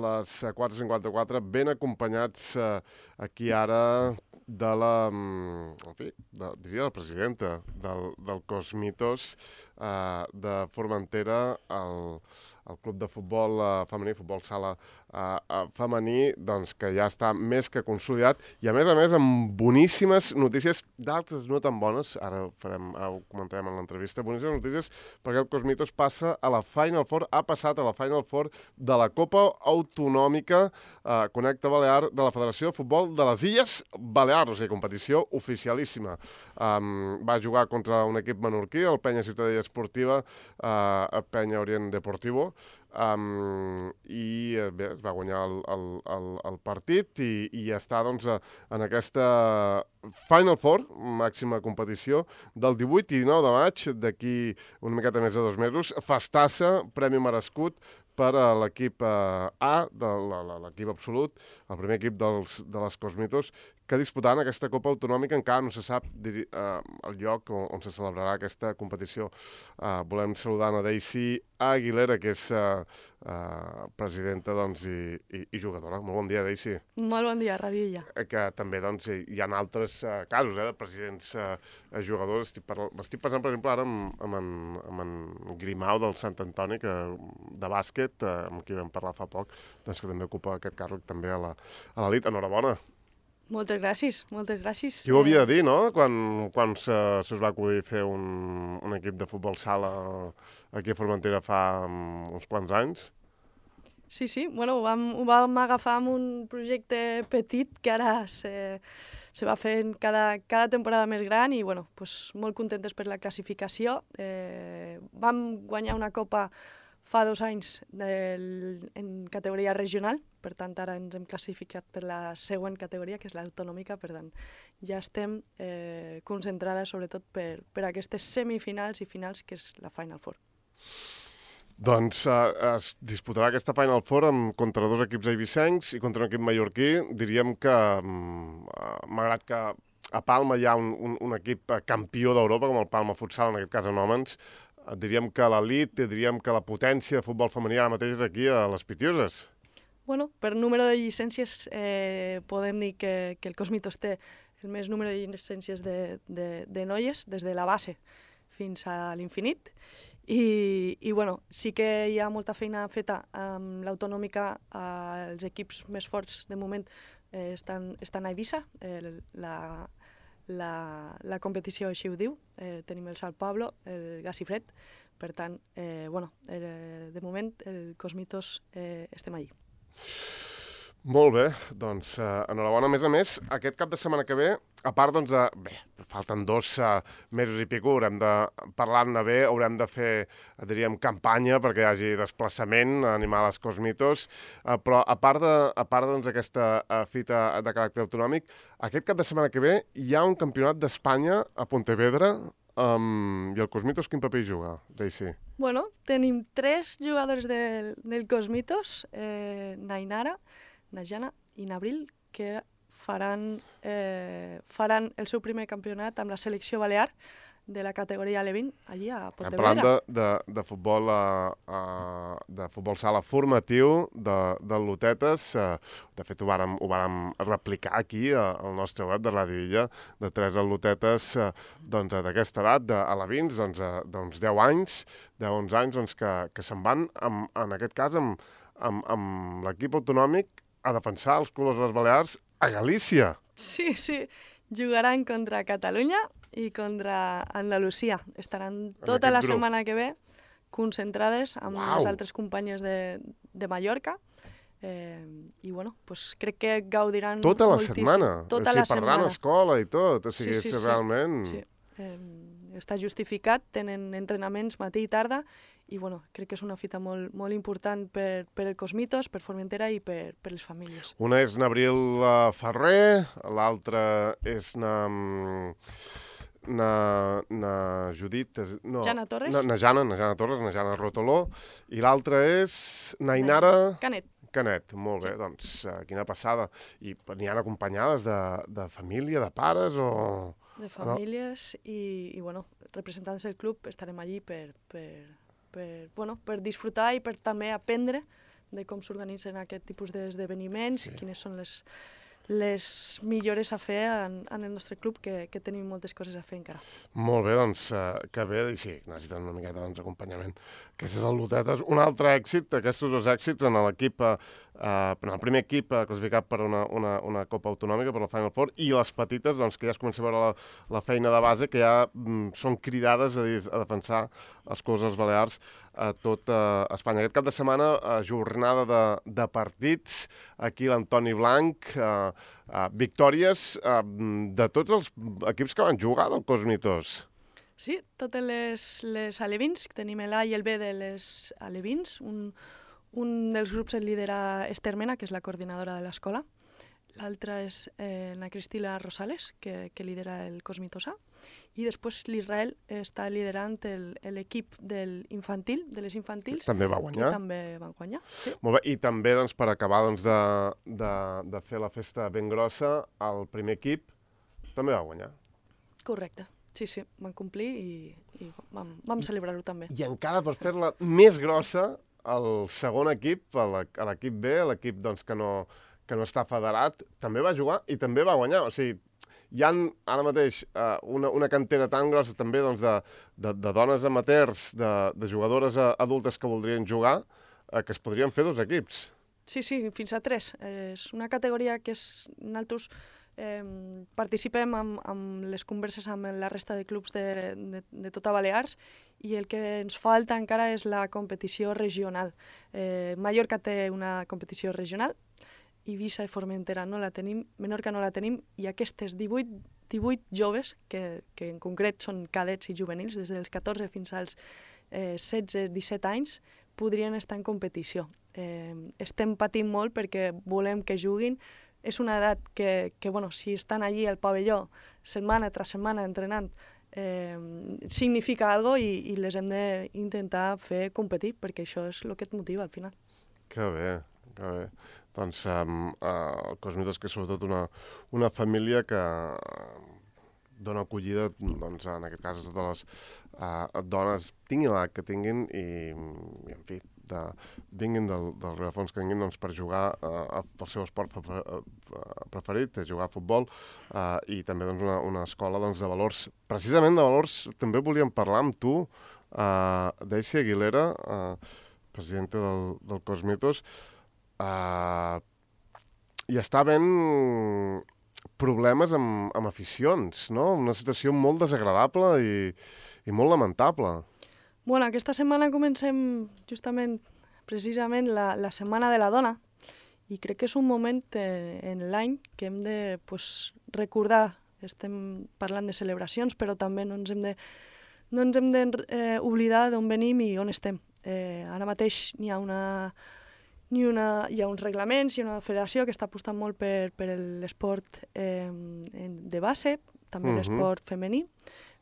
les 4:54, ben acompanyats aquí ara de la, diria la presidenta del Cosmitos de Formentera, el club de futbol femení, futbol sala femení, doncs que ja està més que consolidat i a més amb boníssimes notícies, d'altres no tan bones, ara ho comentarem en l'entrevista, boníssimes notícies perquè el Cosmitos passa a la Final Four, ha passat a la Final Four de la Copa Autonòmica Connecta Balear de la Federació de Futbol de les Illes Balears, o sigui, competició oficialíssima. Va jugar contra un equip menorquí, el Penya Ciutadella Esportiva, Penya Orient Deportivo, i bé, es va guanyar el partit i està doncs, en aquesta Final Four, màxima competició, del 18 i 19 de maig, d'aquí una miqueta més de 2 mesos, festassa, premi merescut per a l'equip A, de l'equip absolut, el primer equip de les Cosmitos, que disputaran aquesta Copa Autonòmica. Encara no se sap el lloc on se celebrarà aquesta competició. Volem saludar a Daisy Aguilera, que és presidenta i jugadora. Molt bon dia, Daisy. Molt bon dia, Radilla. Que també hi ha altres casos de presidents jugadors. Estic pensant, per exemple, ara amb en Grimau del Sant Antoni, de bàsquet, amb qui vam parlar fa poc, doncs que també ocupa aquest càrrec també a l'elit. Enhorabona. Moltes gràcies, moltes gràcies. Qui ho havia de dir, no?, quan us va acudir fer un equip de futbol sala aquí a Formentera fa uns quants anys? Sí, bueno, ho vam agafar amb un projecte petit que ara se va fent cada temporada més gran i, bueno, pues, molt contentes per la classificació. Vam guanyar una copa fa 2 anys en categoria regional, per tant, ara ens hem classificat per la següent categoria, que és l'autonòmica, per tant, ja estem concentrades sobretot per aquestes semifinals i finals, que és la Final Four. Doncs es disputarà aquesta Final Four contra 2 equips eivissencs i contra un equip mallorquí. Diríem que, malgrat que a Palma hi ha un equip campió d'Europa, com el Palma Futsal, en aquest cas en homes, diríem que l'elit, diríem que la potència de futbol femení ara mateix és aquí a les Pitiuses. Bueno, per número de llicències podem dir que el Cosmitos té el més número de llicències de noies, des de la base fins a l'infinit. I bueno, sí que hi ha molta feina feta amb l'autonòmica. Els equips més forts, de moment, estan a Eivissa. La competició així ho diu. Tenim el Sant Pablo, el Gas i Fred. Per tant, de moment, el Cosmitos estem allí. Molt bé, doncs enhorabona. A més, aquest cap de setmana que ve, a part, doncs, falten 2 mesos i pico, haurem de parlar-ne bé, haurem de fer, diríem, campanya perquè hi hagi desplaçament, animar les Cosmitos, però a part d'aquesta fita de caràcter autonòmic, aquest cap de setmana que ve hi ha un campionat d'Espanya a Pontevedra, i el Cosmitos quin paper hi juga, Daisy? Bueno, tenim 3 jugadors del Cosmitos, Nainara, Najana i Nabril, que faran el seu primer campionat amb la selecció balear de la categoria L20 allí a Pontevedra. Parlant de futbol sala formatiu del Lutetes. De fet, ho vàrem replicar aquí al nostre web de Ràdio Illa, de 3 atletes d'aquesta edat, a la 20, 10 anys, 11 anys, que se'n van, en aquest cas, amb l'equip autonòmic a defensar els colors de les Balears a Galícia. Sí, jugaran contra Catalunya i contra Andalusia. Estaran tota la setmana que ve concentrades amb les altres companyes de Mallorca. I, bueno, crec que gaudiran moltíssim. Tota la setmana? Tota la setmana. Parlant escola i tot. O sigui, és realment... Sí. Està justificat, tenen entrenaments matí i tarda, i bueno, crec que és una fita molt important per el Cosmitos, per Formentera i per les famílies. Una és Nabril Ferrer, l'altra és Judit... Jana Torres. Jana Torres, Jana Rotoló, i l'altra és Nainara... Canet, molt bé, doncs quina passada. I n'hi ha acompanyades de família, de pares o...? De famílies i bueno, representants del club estarem allí per disfrutar i per també aprendre de com s'organitzen aquest tipus d'esdeveniments, quines són les millores a fer en el nostre club, que tenim moltes coses a fer encara. Molt bé, doncs, que bé, i sí, necessiten una miqueta d'acompanyament. Aquest és el Lutetes. Un altre èxit, aquests dos èxits en l'equip, en el primer equip classificat per una Copa Autonòmica, per la Final Four, i les petites, doncs, que ja es comença a veure la feina de base, que ja són cridades a defensar els clubs dels Balears a tot Espanya. Aquest cap de setmana, jornada de partits, aquí l'Antoni Blanc, victòries de tots els equips que van jugar del Cosmitos. Sí, totes les alevins, tenim l'A i el B de les alevins. Un dels grups el lidera Esther Mena, que és la coordinadora de l'escola. L'altra és la Cristina Rosales, que lidera el Cosmitos A. I després l'Israel està liderant l'equip de les infantils. També va guanyar. Que també van guanyar, sí. Molt bé, i també doncs, per acabar doncs, de fer la festa ben grossa, el primer equip també va guanyar. Correcte, sí, van complir i vam celebrar-ho també. I encara per fer-la més grossa, el segon equip, l'equip B, l'equip doncs, que no està federat, també va jugar i també va guanyar. O sigui, hi ha ara mateix una cantera tan grossa també doncs, de dones amateurs, de jugadores adultes que voldrien jugar, que es podrien fer dos equips. Sí, fins a 3. És una categoria que nosaltres participem amb les converses amb la resta de clubs de tota Balears, i el que ens falta encara és la competició regional. Mallorca té una competició regional, Eivissa i Formentera no la tenim, Menorca no la tenim, i aquestes 18 joves, que en concret són cadets i juvenils, des dels 14 fins als 16-17 anys, podrien estar en competició. Estem patint molt perquè volem que juguin. És una edat que bueno, si estan allí al pavelló setmana tras setmana entrenant, significa alguna cosa i les hem d'intentar fer competir, perquè això és el que et motiva al final. Que bé. Doncs el Cosmitos, que és sobretot una família que dona acollida, doncs, en aquest cas, a totes les dones, tinguin l'edat que tinguin, i en fi, vinguin del rerefons que vinguin doncs, per jugar el seu esport preferit, jugar a futbol, i també doncs, una escola doncs, de valors. Precisament de valors també volíem parlar amb tu, Daisy Aguilera, presidenta del Cosmitos. Hi està havent problemes amb aficions, no? Una situació molt desagradable i molt lamentable. Bueno, aquesta setmana comencem justament, precisament, la Setmana de la Dona, i crec que és un moment en l'any que hem de recordar. Estem parlant de celebracions, però també no ens hem d'oblidar d'on venim i on estem. Ara mateix hi ha uns reglaments, hi ha una federació que està apostant molt per l'esport de base, també l'esport femení,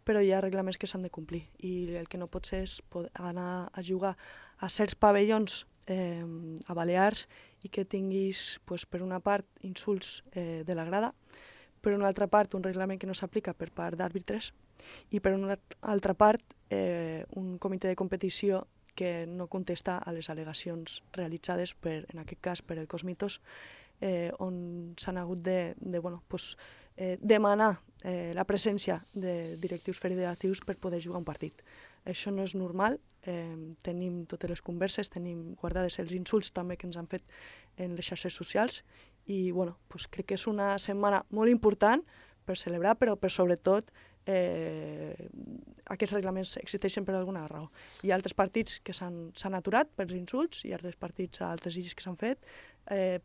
però hi ha reglaments que s'han de complir, i el que no pot ser és anar a jugar a certs pavellons a Balears i que tinguis, per una part, insults de la grada, per una altra part, un reglament que no s'aplica per part d'àrbitres, i per una altra part, un comitè de competició que no contesta a les al·legacions realitzades, en aquest cas per el Cosmitos, on s'han hagut de demanar la presència de directius federatius per poder jugar un partit. Això no és normal, tenim totes les converses, tenim guardades els insults també que ens han fet en les xarxes socials, i crec que és una setmana molt important per celebrar, però per sobretot aquests reglaments existeixen per alguna raó. Hi ha altres partits que s'han aturat pels insults, hi ha altres partits a altres illes que s'han fet,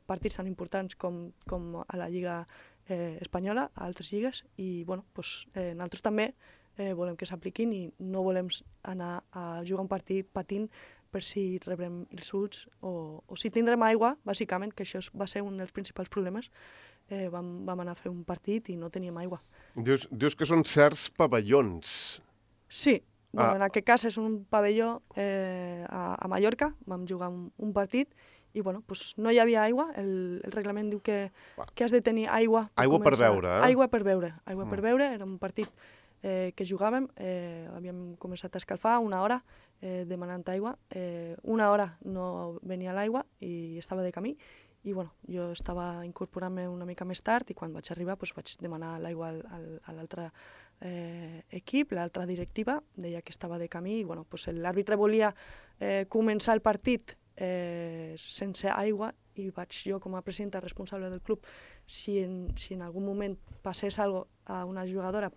partits tan importants com a la Lliga Espanyola, a altres lligues, i nosaltres també volem que s'apliquin i no volem anar a jugar un partit patint per si rebrem insults o si tindrem aigua, bàsicament, que això va ser un dels principals problemes. Vam anar a fer un partit i no teníem aigua. Dius que són certs pavellons. Sí, en aquest cas és un pavelló a Mallorca, vam jugar un partit i no hi havia aigua, el reglament diu que has de tenir aigua. Aigua per beure, Aigua per beure, era un partit que jugàvem, havíem començat a escalfar una hora demanant aigua. Una hora no venia l'aigua i estava de camí, i bueno, jo estava incorporant-me una mica més tard i quan vaig arribar vaig demanar l'aigua a l'altre equip, l'altra directiva, deia que estava de camí i bueno, l'àrbitre volia començar el partit sense aigua i vaig jo com a presidenta responsable del club, si en algun moment passés alguna cosa a una jugadora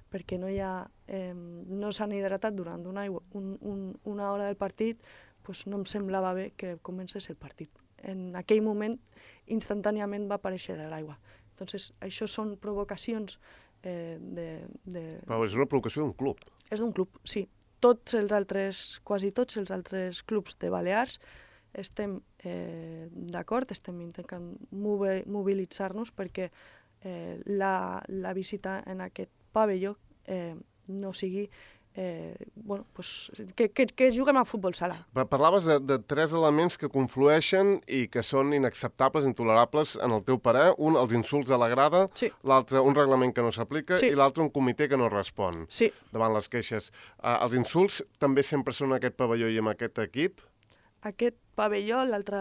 perquè no s'han hidratat durant una hora del partit, no em semblava bé que comencés el partit. En aquell moment, instantàniament va aparèixer l'aigua. Entonces, això són provocacions Però és una provocació d'un club. És d'un club, sí. Quasi tots els altres clubs de Balears estem d'acord, estem intentant mobilitzar-nos perquè la visita en aquest pavelló no sigui que juguem a futbol sala. Parlaves de 3 elements que conflueixen i que són inacceptables, intolerables, en el teu parer. Un, els insults a la grada, sí. L'altre, un reglament que no s'aplica, sí. I l'altre, un comitè que no respon sí. davant les queixes. Els insults també sempre són en aquest pavelló i en aquest equip? Aquest pavelló, l'altre...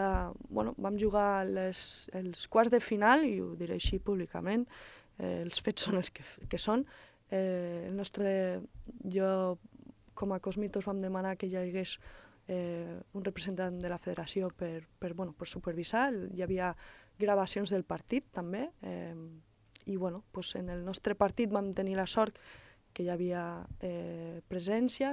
vam jugar els quarts de final, i ho diré així públicament, els fets són els que són. Jo, com a Cosmitos, vam demanar que hi hagués un representant de la federació per supervisar. Hi havia gravacions del partit, també, i en el nostre partit vam tenir la sort que hi havia presència,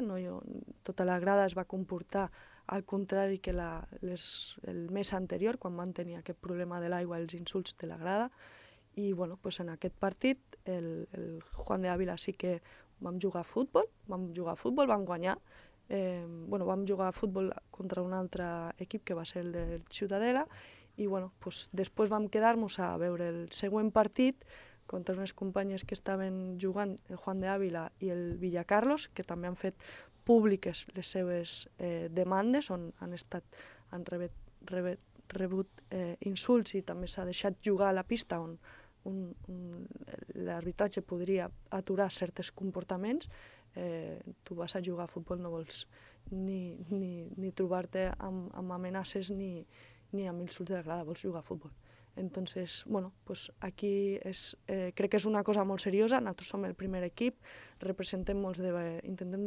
tota la grada es va comportar al contrari que el mes anterior, quan van tenir aquest problema de l'aigua, els insults de la grada. I en aquest partit el Juan de Ávila sí que vam jugar a futbol, vam guanyar. Vam jugar a futbol contra un altre equip que va ser el del Ciutadella i després vam quedar-nos a veure el següent partit contra unes companyes que estaven jugant, el Juan de Ávila i el Villacarlos, que també han fet públiques les seves demandes, on han rebut insults i també s'ha deixat jugar a la pista on l'arbitratge podria aturar certs comportaments. Tu vas a jugar a futbol, no vols ni trobar-te amb amenaces ni amb insults de la grada, vols jugar a futbol. Entonces, aquí crec que és una cosa molt seriosa. Nosaltres som el primer equip, intentem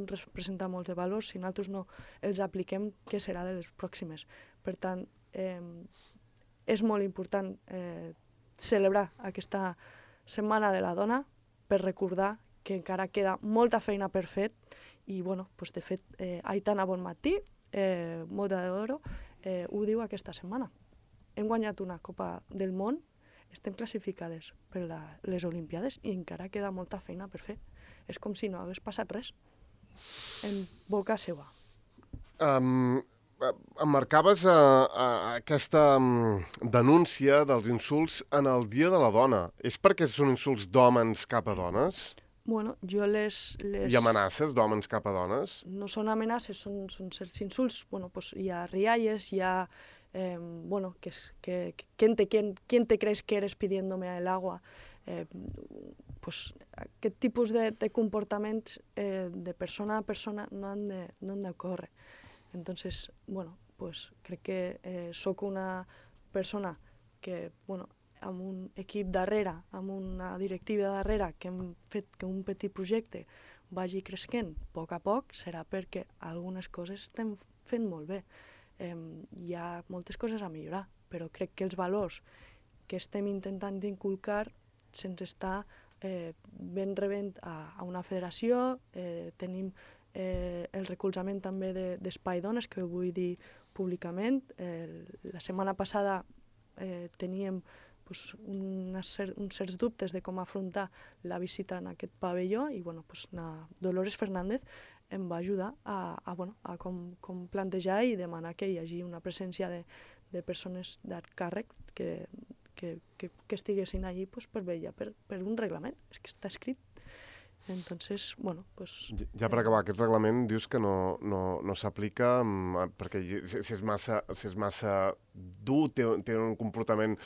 representar molts de valors. Si nosaltres no els apliquem, què serà de les pròximes? Per tant, és molt important celebrar aquesta Setmana de la Dona per recordar que encara queda molta feina per fer i, de fet, Aitana Bonmatí, Mota d'Oro, ho diu aquesta setmana. Hem guanyat una Copa del Món, estem classificades per les Olimpiades i encara queda molta feina per fer. És com si no hagués passat res en boca seva. Emmarcaves aquesta denúncia dels insults en el Dia de la Dona. És perquè són insults d'hòmens cap a dones? Jo I amenaces d'hòmens cap a dones? No són amenaces, són certs insults. Hi ha rialles, hi ha... ¿quién te crees que eres pidiéndome el agua? Aquest tipus de comportaments de persona a persona no han d'ocórrer. Entonces, crec que sóc una persona que, amb un equip darrere, amb una directiva darrere, que hem fet que un petit projecte vagi creixent a poc, serà perquè algunes coses estem fent molt bé. Hi ha moltes coses a millorar, però crec que els valors que estem intentant inculcar se'ns està ben rebent a una federació. Tenim el recolzament també d'Espai Dones, que ho vull dir públicament. La setmana passada teníem uns certs dubtes de com afrontar la visita en aquest pavelló i Dolores Fernández em va ajudar a com plantejar i demanar que hi hagi una presència de persones d'alt càrrec que estiguessin allí per vetllar per un reglament. És que està escrit. Entonces, bueno, pues... Ja per acabar, aquest reglament dius que no s'aplica perquè si és massa dur, té un comportament,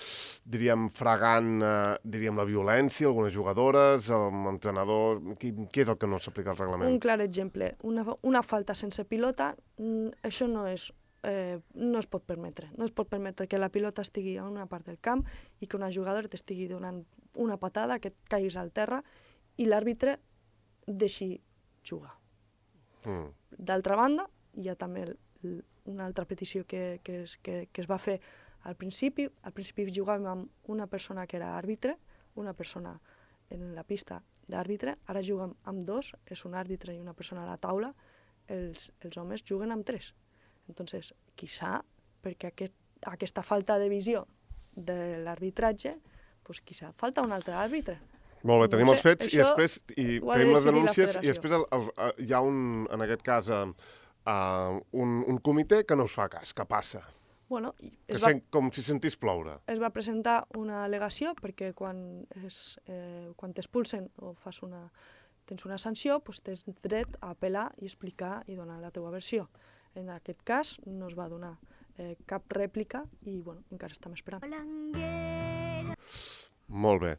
diríem, fregant, diríem, la violència, algunes jugadores, l'entrenador... Què és el que no s'aplica al reglament? Un clar exemple, una falta sense pilota, això no es pot permetre. No es pot permetre que la pilota estigui a una part del camp i que una jugadora t'estigui donant una patada, que et caiguis al terra i l'àrbitre deixi jugar. D'altra banda, hi ha també una altra petició que es va fer al principi. Al principi jugàvem amb una persona que era àrbitre, una persona en la pista d'àrbitre, ara juguem amb dos, és un àrbitre i una persona a la taula, els homes juguen amb tres. Entonces, quizá, perquè aquesta falta de visió de l'arbitratge, pues quizá falta un altre àrbitre. Molt bé, tenim els fets i després tenim les denúncies i després hi ha en aquest cas, un comitè que no us fa cas, que passa. Bueno, Com si sentís ploure. Es va presentar una al·legació perquè quan t'expulsen o tens una sanció, doncs tens dret a apel·lar i explicar i donar la teva versió. En aquest cas no es va donar cap rèplica i bueno, encara estem esperant. Molt bé.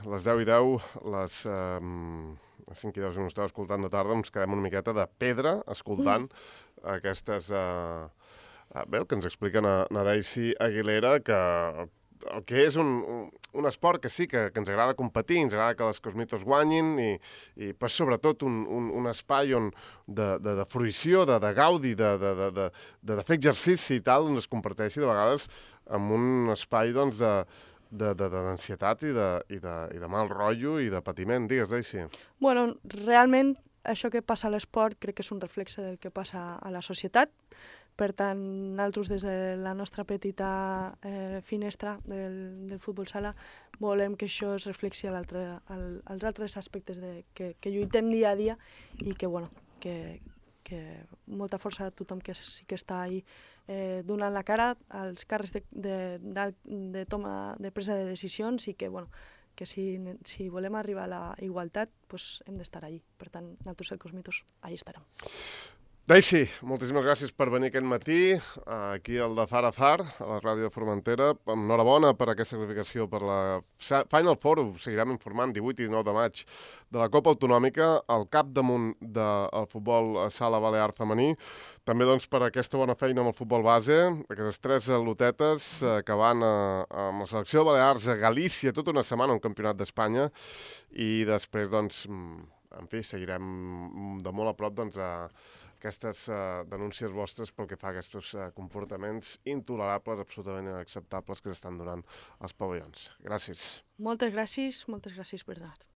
Les 10:10, les 5:10, si no estava escoltant de tarda, ens quedem una miqueta de pedra escoltant aquestes... Bé, el que ens explica na Daisy Aguilera, que el que és un esport que sí, que ens agrada competir, ens agrada que les Cosmitos guanyin i sobretot un espai de fruïció, de gaudi, de fer exercici i tal, on es comparteixi de vegades amb un espai d'ansietat i de mal rotllo i de patiment. Digues, Daisy. Bueno, realment això que passa a l'esport crec que és un reflexe del que passa a la societat. Per tant, nosaltres des de la nostra petita finestra del futbol sala volem que això es reflexi als altres aspectes que lluitem dia a dia i que, bueno, que molta força a tothom que sí que està ahí donant la cara als càrrecs de presa de decisions i que, bueno, que si volem arribar a la igualtat, pues hem d'estar allí. Per tant, nosaltres, els Cosmitos, allà estarem. Daisy, moltíssimes gràcies per venir aquest matí, aquí al de Far a Far, a la ràdio de Formentera. Enhorabona per aquesta classificació per la Final Four, ho seguirem informant, 18 i 19 de maig, de la Copa Autonòmica, al capdamunt del futbol sala balear femení. També doncs, per aquesta bona feina amb el futbol base, aquestes 3 lotetes que van amb la selecció de Balears a Galícia tota una setmana, un campionat d'Espanya, i després, doncs, en fi, seguirem de molt a prop, doncs, aquestes denúncies vostres pel que fa a aquests comportaments intolerables, absolutament inacceptables que s'estan donant als pavellons. Gràcies. Moltes gràcies, Bernat.